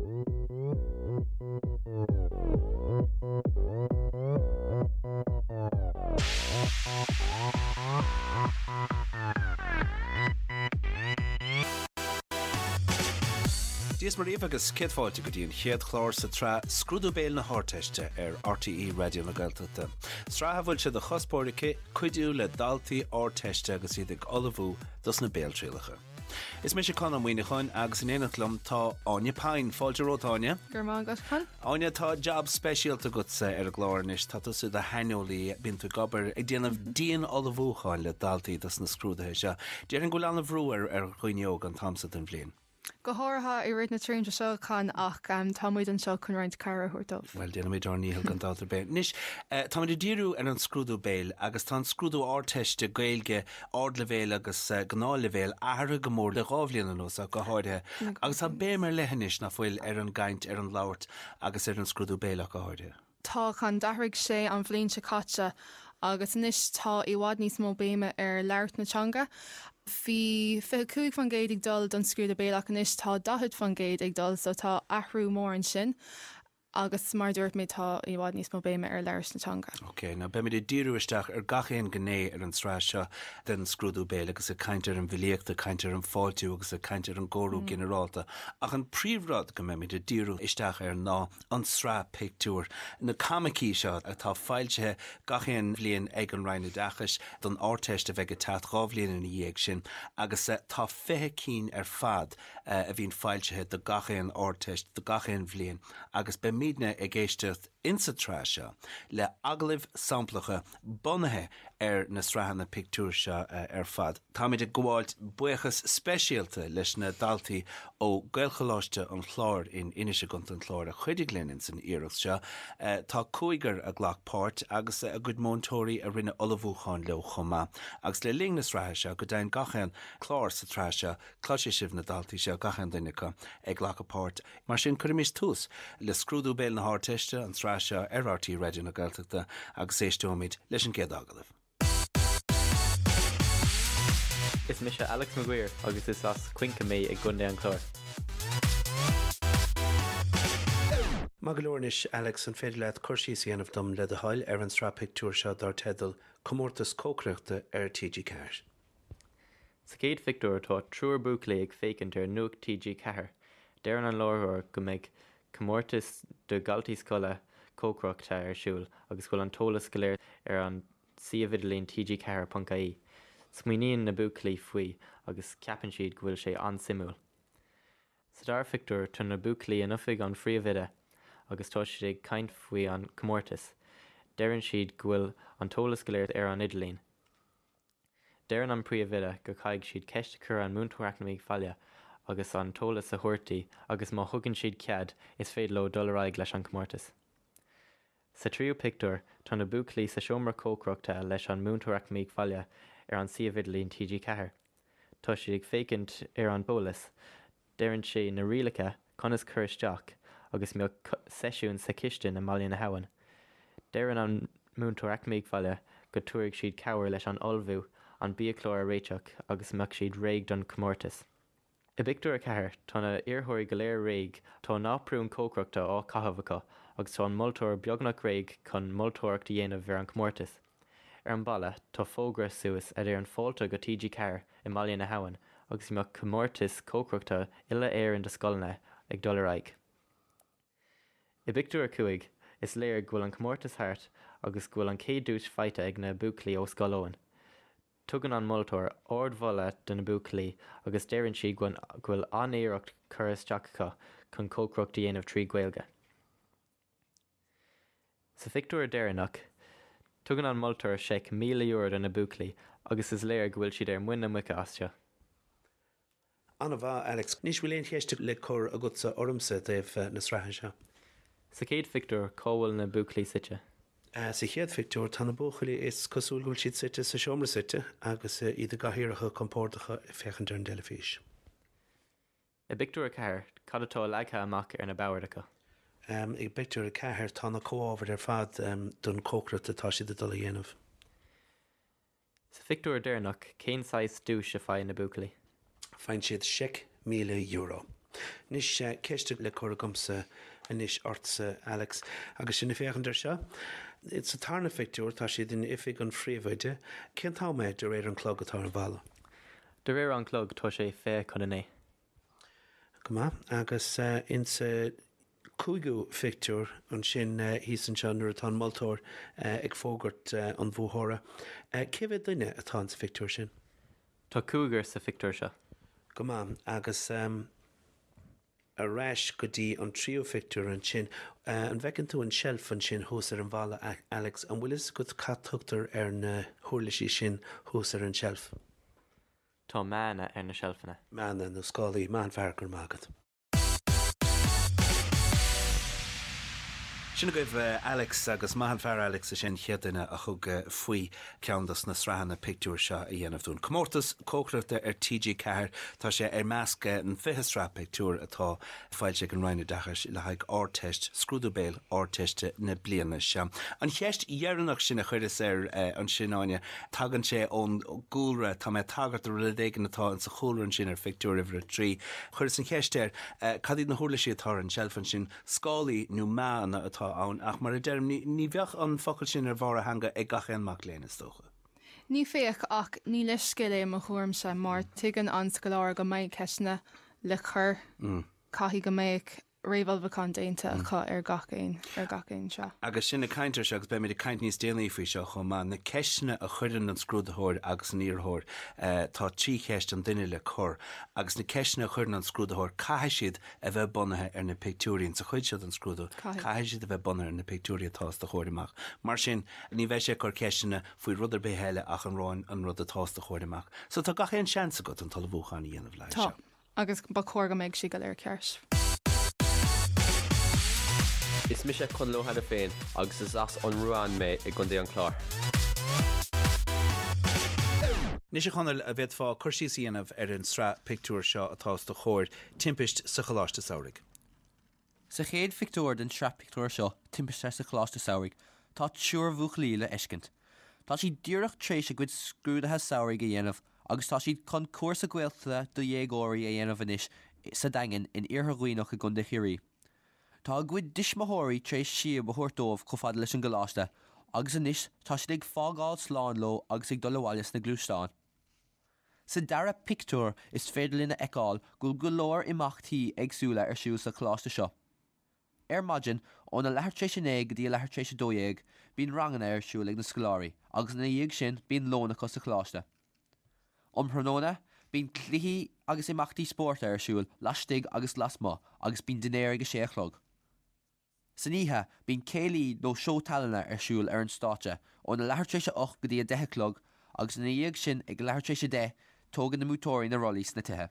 Dia is Muire dhaoibh agus céad fáilte go dtí an chéad chlár sa tsraith Scrúdú Béil na hArdteiste ar RTÉ Raidió na Gaeltachta. Sraith a bhfuil sé de chuspóir aici cuidiú le daltaí Ardteiste agus iad ag ullmhú dos na béaltrialacha. Is mise Conn Ó Muíneacháin agus in éineacht liom tá Áine Pyne. Fáilte romhat, Áine. Go raibh maith agat, Con. Áine, tá jab speisialta agatsa ar an gclár anois. Tá tusa i do shaineolaí, bíonn tú ag obair, ag déanamh dian-ullmhúcháin le daltaí dos na scrúduithe seo. Déarfainn go bhfuil an-bhrú ar dhaoine óga an t-am so den bhliain. Go háirithe i rith na tréimhse seo, Con, ach tá muid anseo chun roinnt cabhair a thabhairt dóibh. Bhuel, déanfaimid ár ndícheall gan dabht ar bith. Anois, táimid ag díriú ar an scrúdú béil agus tá an scrúdú Ardteiste Gaeilge, ardleibhéil agus gnáthleibhéil, athraithe go mór le 2 bhliain anuas ach go háirithe. Agus tá béim ar leith anois, nach bhfuil, ar an gcaint, ar an labhairt agus ar an scrúdú béil ach go háirithe. Tá, Con. D'athraigh sé an bhliain seo caite agus anois tá i bhfad níos mó béime ar labhairt na teanga. Bhí 25% ag dul don scrúdú béil ach anois tá 40% ag dul so tá athrú mór ansin agus mar a dúirt mé tá i bhfad níos mó béime ar labhairt na teanga. Ok, now beimid ag díriú isteach ar gach aon ghné ar an tsraith seo den scrúdú béil agus ag caint ar an bhfilíocht, ag caint ar an bhfáiltiú agus ag caint ar an gcóiriú ginearálta. Ach an príomhrud go mbeimid ag díriú isteach air ná an tsraith pictiúr, na coimicí seo atá foilsithe gach aon bhliain ag an Roinn Oideachais don Ardteist a bheidh ag teacht 2 bhliain ina dhiaidh sin agus tá 20 cinn ar fad a bhíonn foilsithe do gach aon Ardteist do gach aon bhliain agus beimidne ag éisteacht insa tsraith seo le agallaimh samplacha bunaithe ar na sraitheanna pictiúr seo ar fad. Táimid ag gabháilt buíochas speisialta leis na daltaí ó Gaelcholáiste an Chláir in Inis i gContae an Chláir a chuidigh linn ins an iarracht seo. Tá cúigear a ghlac páirt agus a gcuid múinteoirí a rinne ullmhúchán leo chomh maith. Agus le linn na sraithe seo, go deimhin gach aon chlár sa tsraith seo, cloisfidh sibh na daltaí seo, gach aon duine acu, ag glacadh páirt. Mar sin, cuirimis tús le Scrúdú Béil na hArdteiste, an tsraith seo ar RTÉ Raidió na Gaeltachta agus éisteoimid leis an gcéad agallamh. Is mise Alex Maguire agus is as Cuince mé i gContae an Chláir. Maith go leor anois, Alex, an féidir leat cur síos a dhéanamh dom, le do thoil, ar an tsraith pictiúr seo dar teideal Comórtas Cócaireachta ar TG4? Sa chéad phictiúr tá triúr buachaillí ag féachaint ar Nuacht TG4. Deireann an láithreoir go mbeidh comórtas do dhaltaí scoile cócaireachta ar siúl agus go bhfuil an t-eolas go léir ar an suíomh idirlín tg4.ie. Smaoiníonn na buachaillí faoi agus ceapann siad go bhfuil sé an-suimiúil. Sa dara phictiúr tá na buachaillí in oifig an phríomhoide agus tá siad ag caint faoi an comórtas. Deireann siad go bhfuil an t-eolas go léir ar an idirlíon. Deireann an príomhoide go caithfidh siad ceist a chur an múinteoir eacnamaíocht bhaile agus an t-eolas a thabhairt di agus má thugann siad cead is féidir leo dul ar aghaidh leis an comórtas. Sa tríú pictiúr tá na buachaillí sa seomra cócaireachta leis an múinteoir eacnamaíocht bhaile ar an suíomh idirlín TG4. Tá siad ag féachaint ar an eolas Deireann sé na rialacha conas cur isteach agus mbeadh seisiún sa chistin i mBaile na hAbhann. Deireann an múinteoir eacnamaíocht bhaile go dtabharfaidh siad cabhair leis an ullmhú, an biachlár a réiteach agus mbeadh siad réidh don chomórtas. I bpictiúr 4 tá na iarrthóirí go léir réidh, tá a n-áprún cócaireachta á caitheamh acu agus tá an moltóir beagnach réidh chun moltóireacht a dhéanamh ar an chomórtas. Ar an balla, tá fógra suas a deireann fáilte go TG4 i mBaile na hAbhann agus go mbeadh comórtas cócaireachta uile-Éireann do scoileanna ag dul ar aghaidh. I bpictiúr 5, is léir go bhfuil an comórtas thart agus go bhfuil an chéad duais faighte ag na buachaillí ó Scoil Eoin. Tugann an moltóir ard-mholadh do na buachaillí agus deireann sí go bhfuil an-iarracht curtha isteach acu chun cócaireacht a dhéanamh trí Ghaeilge. Sa phictiúr deireanach, tugann an moltóir seic €1,000 do na buachaillí agus is léir go bhfuil siad ar muin na muice as seo. An-mhaith, Alex. Anois, bhfuil aon cheist le cur agatsa ormsa i dtaobh na sraithe seo? Sa chéad phictiúr, cá bhfuil na buachaillí suite? Sa chéad phictiúr, tá na buachaillí, is cosúil go bhfuil siad suite sa seomra suite agus iad i gcathaoireacha compordacha ag féachaint ar an dteilifís. I bpictiúr 4, cad atá leagtha amach ar na boird acu? I bpictiúr 4, tá na comhábhair ar fad don chócaireacht atá siad ag dul a dhéanamh. Sa phictiúr deireanach, cén saghas duais a faigheann na buachaillí? Faigheann siad seic €1,000. Anois, ceist le cur agamsa anois ortsa, Alex, agus sinn ag féachaint air seo. Sa tarna phictiúr, tá siad in oifig an phríomhoide. Cén t-am é, de réir an clog atá ar an bhalla? De réir an clog, tá sé 8:40. Go maith. Agus insa cúigiú phictiúr ansin thíos anseo nuair atá an moltóir ag fógairt an bhuaitheora, cé mhéad duine atá insa phictiúr sin? Tá cúigear sa phictiúr seo. Go maith. Agus ar ais go dtí an tríú phictiúr ansin, an bhfeiceann tú an tseilf ansin thuas ar an bhalla, Alex? An bhfuil fhios agat cad tugtar ar na huirlisí sin thuas ar an tseilf? Tá meánna ar na seilfeanna. Meánna nó scálaí. Maith an fear, go raibh maith agat. Sin agaibh Alex agus maith an fear Alex is é an chéad duine a thug faoi ceann dos na sraitheanna pictiúr seo a dhéanamh dúinn. Comórtas cócaireachta ar TG4, tá sé ar measc an 20 sraith pictiúr atá foilsithe ag an Roinn Oideachais le haghaidh Ardteist, scrúdú béil Ardteiste na bliana seo. An cheist dheireanach sin a chuireas air ansin, Áine, tagann sé ón gcúlra, tá mé ag tagairt do rud éigin atá insa chúlra ansin ar phictiúr uimhir a 3. Chuireas an cheist air, cad iad na huirlisí atá ar an tseilf ansin? Scálaí nó meánna atá ann ach mar a deirim, ní bheadh an focal sin ar bharr a theanga ag gach aon mac léinn, is dócha. Ní bheadh, ach ní leithscéal é i mo thuairimse mar tuigeann an scoláire go mbeidh ceisteanna le cur, caithfidh go mbeadh réamhullmhúchán déanta acu ar gach aon, ar gach aon sraith. Agus sinn ag caint air seo, agus beimid ag caint níos déanaí faoi seo chomh maith, na ceisteanna a chuireann an scrúdaitheoir agus an iarrthóir, tá 3 cheist an duine le cur, agus na ceisteanna a chuireann an scrúdaitheoir, caithfidh siad a bheith bunaithe ar na pictiúirí. Insa chuid seo den scrúdú, caithfidh siad a bheith bunaithe ar na pictiúirí atá os do chomhair amach. Mar sin, ní bheidh sé ag cur ceisteanna faoi rud ar bith eile ach an rud, an rud atá os do chomhair amach. So tá gach aon seans agat an t-ullmhúchán a dhéanamh le haghaidh seo. Tá, agus ba chóir go mbeadh siad go léir ceart. Is mise Conall Ó hAiniféin agus is as an Ruán mé i gContae an Chláir. Anois a Chonaill, an bhféadfá cur síos a dhéanamh ar an sraith pictiúr seo atá os do chomhair, Timpist sa Choláiste Samhraidh. Sa chéad phictiúr den tsraith pictiúr seo, Timpiste sa Choláiste Samhraidh, tá triúr bhuachaillí le feiscint. Tá siad díreach tar éis a gcuid scrúduithe samhraidh a dhéanamh agus tá siad chun cúrsa Gaeltachta do dhéagóirí a dhéanamh anois sa Daingean in Iarthar Dhuibhneach i gContae Chiarraí. Tá a gcuid tuismitheoirí tar éis síob a thabhairt dóibh chomh fada leis an gcoláiste agus anois tá siad ag fágáil slán leo agus ag dul abhaile sna gluaisteáin. Sa dara pictiúr is féidir linn a fheiceáil go bhfuil go leor imeachtaí éagsúla ar siúl sa choláiste seo. Ar maidin, óna leathuair tar éis a 9 go dtí a leathuair tar éis a 12, bíonn ranganna ar siúl ag na scoláirí agus ina dhiaidh sin bíonn lón acu sa choláiste. Um thráthnóna, bíonn cluichí agus imeachtaí spóirt ar siúl laistigh agus lasmuigh agus bíonn dinnéar ag a sé a chlog. San oíche, bíonn céilí nó seó tallainne ar siúl ar an stáitse óna leathuair tar éis a 8 go dtí a 10 a chlog agus ina dhiaidh sin ag leathuair tar éis a 10 tógann na múinteoirí na rollaí sna tithe.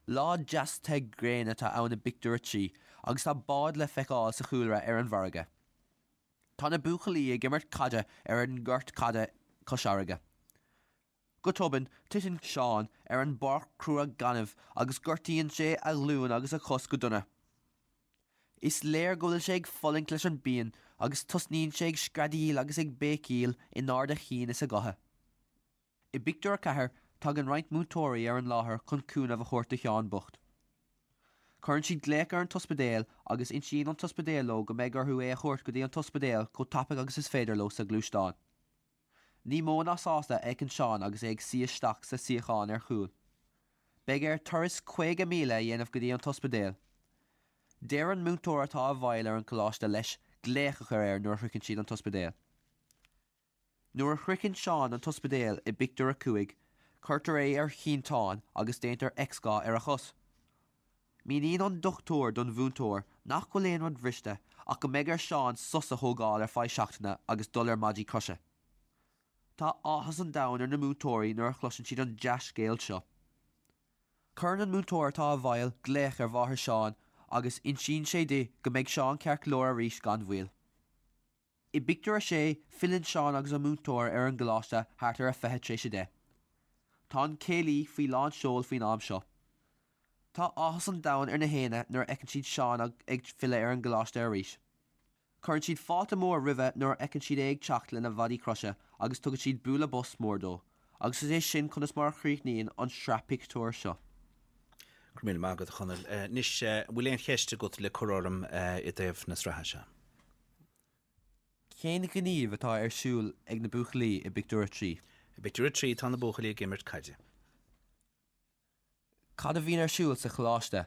Lá deas te gréine atá ann i bpictiúr a 3 agus tá bád le feiceáil sa chúlra ar an bhfarraige. Tá na buachaillí ag imirt caide ar an ngort caide cois fharraige. Go tobann, titeann Seán ar an bpáirc chrua gainimh agus gortaíonn sé a ghlúin agus a chos go dona. Is léir go bhfuil sé ag fulaingt leis an bpian agus tosnaíonn sé ag screadaíl agus ag béicíl in ard a chinn is a ghutha. I bpictiúr a 4, tagann roinnt múinteoirí ar an láthair chun cúnamh a thabhairt do Sheán bocht. Cuireann siad glaoch ar an t-ospidéal agus insíonn an t-ospidéal leo go mbeidh orthu é a thabhairt go dtí an t-ospidéal chomh tapaidh agus is féidir leo sa ghluaisteán. Ní mó ná sásta a fheiceann Seán agus é ag suí isteach sa suíochán ar chúl. Beidh air turas 50 míle a dhéanamh go dtí an t-ospidéal. Deir an múinteoir atá i bhfeighil ar an choláiste leis glaoch a chur air nuair a shroicheann siad an t-ospidéal. Nuair a shroicheann Seán an t-ospidéal i bpictiúr a 5, cuirtear é ar shínteán agus déantar x-gha ar a chos. Míníonn an dochtúir don mhúinteoir nach bhfuil aon rud briste ach go mbeidh ar Seán sos a thógáil ar feadh seachtaine agus dul ar maidí croise. Tá áthas an domhain ar na múinteoirí nuair a chloiseann siad an dea-scéal seo. Cuireann an múinteoir atá i bhfeighil glaoch ar mháthair Seán agus insíonn sé di go mbeidh Seán ceart go leor arís gan mhoill. I bpictiúr a sé, filleann Seán agus an múinteoir ar an gcoláiste thart ar a 10:20 tar éis. Tá an céilí faoi lán seoil faoin am seo. Tá áthas an domhain ar na haoinne nuair a fheiceann siad Seán ag filleadh ar an gcoláiste arís. Cuireann siad fáilte mór roimhe nuair a fheiceann siad é ag teacht lena mhaidí croise agus tugann siad bualadh bos mór dó. Agus is é sin conas mar a chríochnaíonn an sraith pictiúr seo. Go raibh míle maith agat, a Chonaill. Anois, an bhfuil aon cheist agat le cur orm i dtaobh na sraithe seo? Cén gníomh atá ar siúl ag na buachaillí i bpictiúr 3? I bpictiúr 3 tá na buachaillí ag imirt caide. Cad a bhíonn ar siúl sa choláiste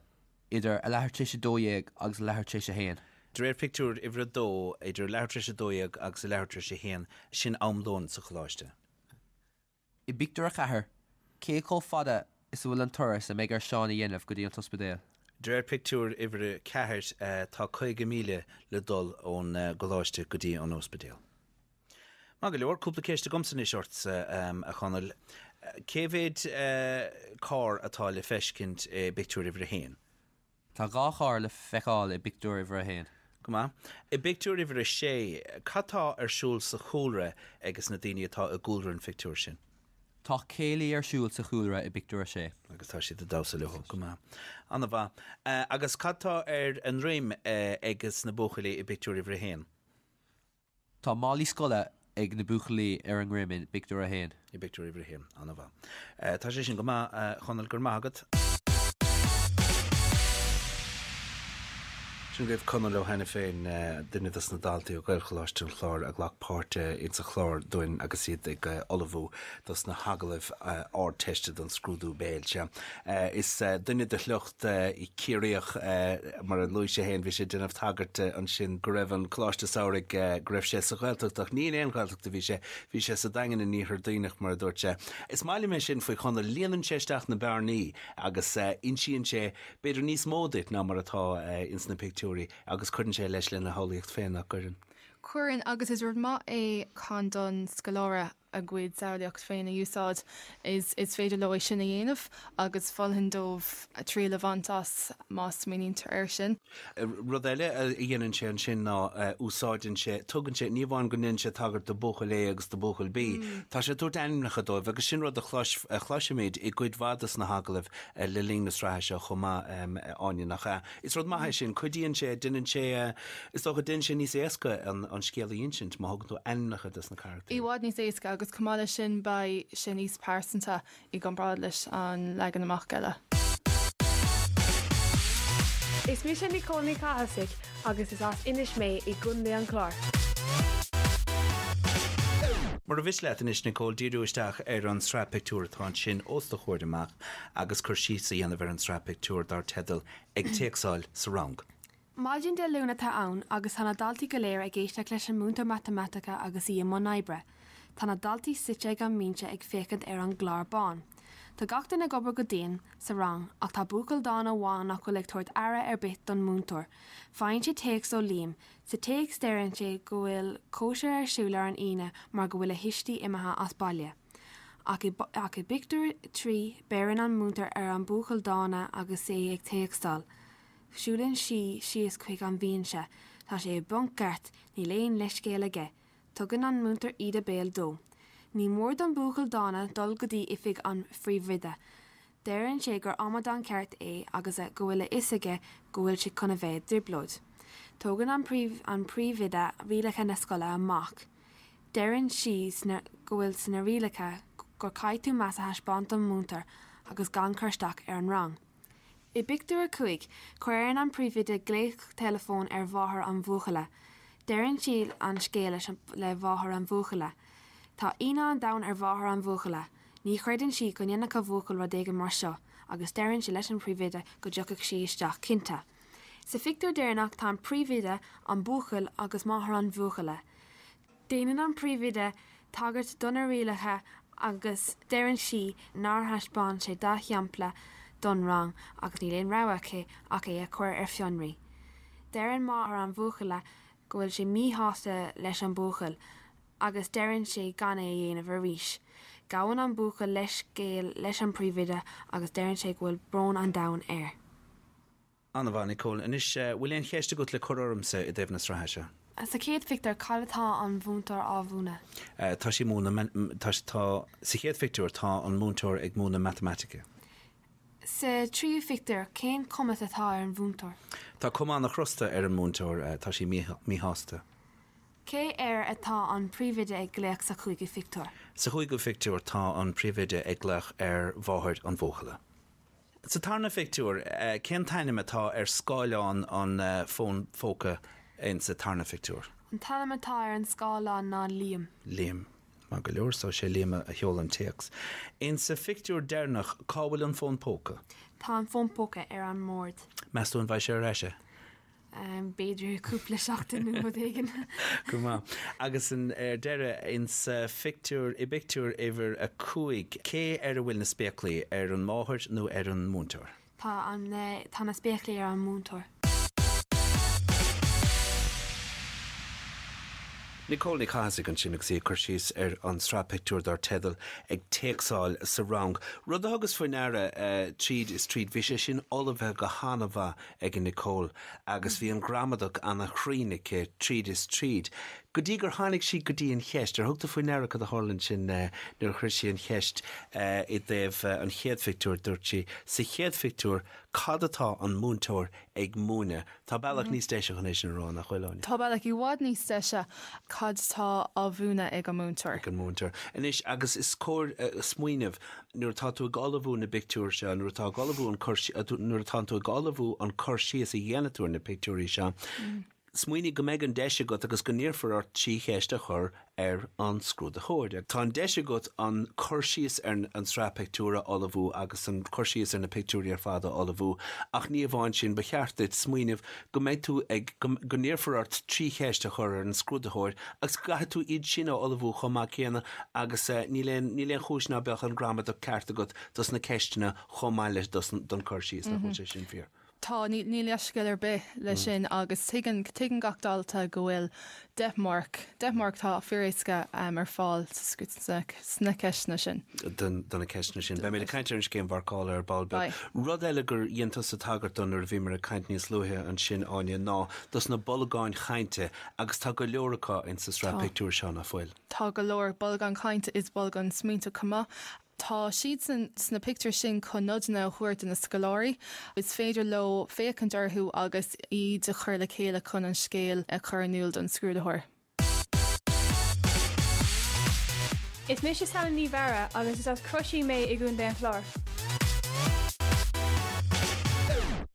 idir a leathuair tar éis 12 agus a leathuair tar éis 1? De réir phictiúr uimhir 2, idir a leathuair tar éis 12 agus a leathuair tar éis 1, sin am lóin sa choláiste. I bpictiúr 4, cé chomh fada is a bhfuil an turas a mbeidh ar Seán a dhéanamh go dtí an t-ospidéal? De réir pictiúr uimhir 4, tá 50 míle le dul ón gcoláiste go dtí an ospidéal. Maith go leor, cúpla ceist agamsa anois ortsa, a Chonaill. Cé mhéad carr atá le feiscint i bpictiúr uimhir a haon? Tá 2 charr le feiceáil i bpictiúr uimhir a haon. Go maith. I bpictiúr uimhir a sé, cad tá ar siúl sa chúlra agus na daoine atá i gcúlra an phictiúir sin? Tá céilí ar siúl sa chúlra i bpictiúr a sé. Agus tá siad ag damhsa leo. Go maith. An-mhaith. Agus cad tá ar a ndroim ages na buachaillí i bpictiúr uimhir a haon? Tá málaí scoile ag na buachaillí ar a ndroim i bpictiúr 1. I bpictiúr uimhir 1. An-mhaith. Tá sé sin go maith, a Chonaill, go raibh maith agat. Sin agaibh Conall Ó hAiniféin, duine dos na daltaí ó Ghaelcholáiste an Chláir a ghlac páirt insa chlár dúinn agus iad ag ullmhú dos na hagallaimh Ardteiste don scrúdú béil. Sea, is duine de shliocht Ciarraíoch, mar a luaigh sé féin, bhí sé ag déanamh tagairt ansin go raibh an Coláiste Samhraidh, go raibh sé sa Ghaeltacht ach ní in aon Ghaeltacht a bhí sé, bhí sé sa Daingean in Iarthar Duibhneach mar a dúirt sé. Is maith liom é sin faoi Chonall, líonann sé isteach na bearnaí agus insíonn sé b'fhéidir níos mó duit ná mar atá ins na pictiúirí agus cuireann sé leis lena shamhlaíocht féin, nach gcuireann? Cuireann, agus is rud maith é chun don scoláire a gcuid samhlaíocht féin a úsáid, is is féidir leo é sin a dhéanamh agus mholfainn dóibh triail a bhaint as má smaoinítear air sin. Rud eile a dhéanann sé ansin ná úsáideann sé, tugann sé, ní amháin go ndéanann sé tagairt do buachaill A agus do buachaill B, tá sé ag tabhairt ainmneacha dóibh agus sin rud a chloisimid i gcuid mhaith de na hagallaimh le linn na sraithe seo chomh maith, Áine, nach ea? Is rud maith é sin, cuidíonn sé, déanann sé, is dócha, déanann sé níos éasca an scéal a insint má thugann tú ainmneacha dos na carachtair. I bhfad níos éasca agus chomh maith leis sin beidh sé níos pearsanta i gcomparáid leis an leagan amach eile. Is mise Nicole Ní Chathasaigh agus is as Inis mé i gContae an Chláir. Mura mhiste leat anois, Nicole, díriú isteach ar an tsraith pictiúr atá ansin os do chomhair amach agus cur síos a dhéanamh ar an tsraith pictiúr dar teideal Ag Téacsáil sa Rang. Maidin Dé Luain atá ann agus tá na daltaí go léir ag éisteacht leis an múinteoir matamaitice agus í i mbun oibre. Tá na daltaí suite ag an mbinse ag féachaint ar an gclár bán. Tá gach duine ag obair go dian sa rang ach tá buachaill dána amháin nach bhfuil ag tabhairt aire ar bith don múinteoir. Faigheann sé téacs ó Liam. Sa téacs deireann sé go bhfuil cóisir ar siúl ar an Aoine mar go bhfuil a thuistí imithe as baile. Ach i ach i bpictiúr 3 beireann an múinteoir ar an buachaill dána agus é ag téacstáil. Siúlann sí síos chuig an bhinse. Tá sé i bponc ceart, níl aon leithscéal aige. Tugann an múinteoir íde béil dó. Ní mór don buachaill dána dul go dtí oifig an phríomhoide. Deireann sé gur amadán ceart é agus go bhfuil a fhios aige go bhfuil sé chun a bheith i dtrioblóid. Tógann an an príomhoide rialacha na scoile amach. Deireann sí sna go bhfuil sna rialacha gur caithfidh tú meas a thaispeáint don mhúinteoir agus gan cur isteach ar an rang. I bpictiúr 5, cuireann an príomhoide glaoch teileafóin ar mháthair an bhuachalla. Deireann sí an scéal leis le mháthair an bhuachalla. Tá ionadh an domhain ar mháthair an bhuachalla. Ní chreideann sí go ndéanfadh a bhuachaill rud éigin mar seo agus deireann sí leis an phríomhoide go dtiocfadh sí isteach cinnte. Sa phictiúr deireanach tá an príomhoide, an buachaill agus máthair an bhuachalla. Déanann an príomhoide tagairt do na rialacha agus deireann sí nár thaispeáin sé dea-shampla don rang agus níl aon rogha aici ach é a chur ar fionraí. Deireann máthair an bhuachalla go bhfuil sí míshásta leis an buachaill agus deireann sí gan é a dhéanamh arís. Gabhann an buachaill leithscéal leis an príomhoide agus deireann sé go bhfuil brón an domhain air. An-mhaith, Nicole. Anois, bhfuil aon cheist agat le cur ormsa i dtaobh na sraithe seo? Sa chéad phictiúr, cad atá an mhúinteoir á mhúineadh? Tá sí ag múineadh, tá, tá, sa chéad phictiúr, tá an múinteoir ag múineadh matamaitice. Sa tríú phictiúr, cén chuma atá ar an mhúinteoir? Tá cuma an-chrosta ar an múinteoir, tá sí míshásta. Cé air atá an príomhoide ag glaoch sa chúigiú phictiúr? Sa chúigiú phictiúr, tá an príomhoide ag glaoch ar mháthair an bhuachalla. Sa tarna phictiúr, cén t-ainm atá ar scáileán an fóin phóca insa tarna phictiúr? An t-ainm atá ar an scáileán ná Liam. Liam. Maith go leor, so sé Liam a sheol an téacs. Insa phictiúr deireanach, cá bhfuil an fón póca? Tá an fón póca ar an mbord. Meas tú an bhfaighidh sé ar ais é? B'fhéidir cúpla seachtain nó rud éigin. Go maith. Agus ar deireadh, insa phictiúr, i bpictiúr uimhir 5, cé air a bhfuil na spéaclaí, ar an máthair nó ar an múinteoir? Tá an, tá na spéaclaí ar an múinteoir. Nicole Ní Chathasaigh ansin agus í ag cur síos ar an tsraith pictiúr dar teideal 'Ag Téacsáil sa Rang'. Rud a thugas faoi ndeara tríd is tríd, bhí sé sin ullmhaithe go han-mhaith ag Nicole agus bhí an ghramadach ana-chruinn aici tríd is tríd. Go dtí gur tháinig sí go dtí an cheist, ar thug tú faoi ndeara cad a tharla ansin nuair a chuir sí an cheist i dtaobh an chéad phictiúr, dúirt sí, sa chéad phictiúr, cad atá an múinteoir ag múineadh? Tá bealach níos deise chun é sin a rá, nach bhfuil, Áine? Tá bealach i bhfad níos deise. Cad tá á mhúineadh ag an múinteoir? Ag an múinteoir. Anois, agus is cóir smaoineamh, nuair atá tú ag ullmhú na bpictiúr seo, nuair atá ag ullmhú an cur, nuair atánn tú ag ullmhú an cur síos a dhéanfaidh tú ar na pictiúirí seo, smaoinigh go mbeidh an deis agat agus go n-iarrfar ort 3 cheist a chur ar an scrúdaitheoir. Tá an deis agat an cur síos ar an tsraith pictiúr a ullmhú agus an cur síos ar na pictiúirí ar fad a ullmhú ach ní amháin sin, ba cheart duit smaoineamh go mbeidh tú ag, go n-iarrfar ort 3 cheist a chur ar an scrúdaitheoir agus go gcaithfidh tú iad sin a ullmhú chomh maith céanna agus níl aon, níl aon chúis ná beadh an ghramadach ceart agat dos na ceisteanna chomh maith le dos, don cur síos, nach bhfuil sé sin fíor? Tá, níl leithscéal ar bith leis sin agus tuigeann, tuigeann gach dalta go bhfuil 10 marc, 10 marc atá fíoréasca ar fáil sna ceisteanna sin. Do na ceisteanna sin. Beimid ag caint ar an scéim mharcála ar ball beag. Rud eile gur dhein tusa tagairt do nuair a bhíomar ag caint níos luaithe ansin, Áine, ná dos na bolgáin chainte agus tá go leor acu insa sraith pictiúr seo, nach bhfuil? Tá go leor bolgáin chainte is bolgáin smaointe chomh maith. Tá siadsan sna pictiúir sin chun nodanna a thabhairt do na scoláirí. Is féidir leo féachaint orthu agus iad a chur le chéile chun an scéal a chur in iúl don scrúdaitheoir. Is mise Sally Ní Mheara agus is as Croisín mé i gContae an Chláir.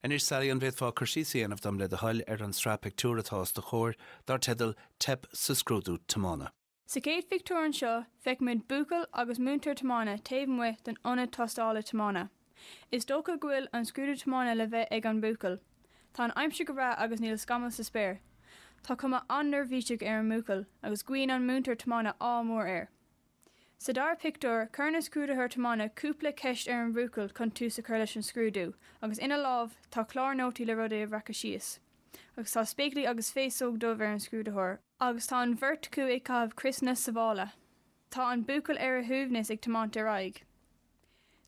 Anois Sally, an bhféadfá cur síos a dhéanamh dom le do thoil ar an sraith pictiúr atá os do chomhair, dar teideal 'Teip sa Scrúdú Tiomána'. Sa chéad phictiúr anseo, feicimid buachaill agus múinteoir tiomána taobh amuigh den ionad tástála tiomána. Is dócha go bhfuil an scrúdú tiomána le bheith ag an mbuachaill. Tá an aimsir go breá agus níl scamall sa spéir. Tá cuma an-neirbhíseach ar an mbuachaill agus guíonn an múinteoir tiomána ádh mór air. Sa dara pictiúr, cuireann an scrúdaitheoir tiomána cúpla ceist ar an bhuachaill chun tús a chur leis an scrúdú agus ina lámh tá clár nótaí le rudaí a bhreacadh síos. Agus tá spéaclaí agus féasóg dubh ar an scrúdaitheoir. Agus tá an bheirt acu ag caitheamh criosanna sábhála. Tá an buachaill ar a shuaimhneas ag tiomáint ar aghaidh.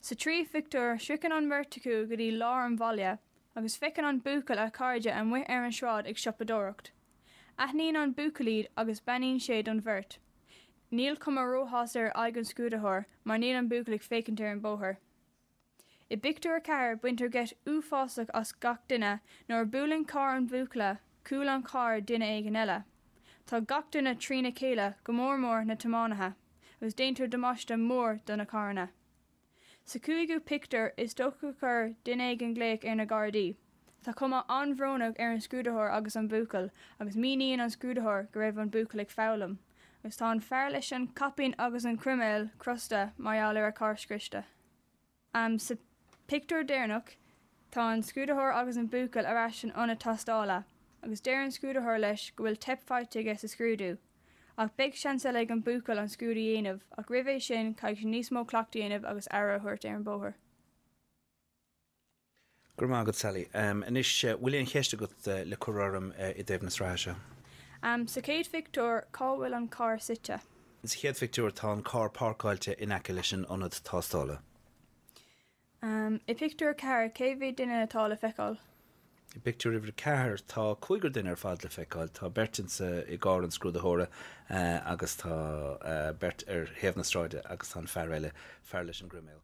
Sa tríú phictiúr, sroicheann an bheirt acu go dtí lár an bhaile, agus feiceann an buachaill a chairde amuigh ar an sráid ag siopadóireacht. Aithníonn an buachaill iad agus beannaíonn sé don bheirt. Níl cuma róshásta ar aghaidh an scrúdaitheoir mar níl an buachaill ag féachaint ar an bóthar. I bpictiúr 4 baintear geit uafásach as gach duine nuair a buaileann carr an bhuachalla cúl an chairr duine éigin eile. Tá gach duine trína chéile, go mór mór na tiománaithe, agus déantar damáiste mór do na carranna. Sa chúigiú pictiúr is dócha gur chuir duine éigin glaoch ar na Gardaí. Tá cuma an-bhrónach ar an scrúdaitheoir agus an buachaill agus míníonn an scrúdaitheoir go raibh an buachaill ag foghlaim agus tá an fear leis an caipín agus an croiméal crosta mar gheall ar a charr scriosta. Sa phictiúr deireanach, tá an scrúdaitheoir agus an buachaill ar ais san ionad tástála agus deir an scrúdaitheoir leis go bhfuil teip faighte aige sa scrúdú. Ach beidh seans eile ag an buachaill an scrúdú a dhéanamh ach roimh é sin caithfidh sé níos mó cleachtaidh a dhéanamh agus aire a thabhairt ar an bóthar. Go raibh maith agat, Sally. Anois, bhfuil aon cheist agat le cur orm i dtaobh na sraithe seo? Sa chéad phictiúr, cá bhfuil an carr suite? Sa chéad phictiúr, tá an carr páirceáilte in aice leis an ionad tástála. I bpictiúr 4, cé mhéad duine atá le feiceáil? I bpictiúr uimhir 4, tá cúigear duine ar fad le feiceáil. Tá beirt insa i gcarr an scrúdaitheora agus tá beirt ar thaobh na sráide agus tá an fear eile, fear leis an gcroiméal.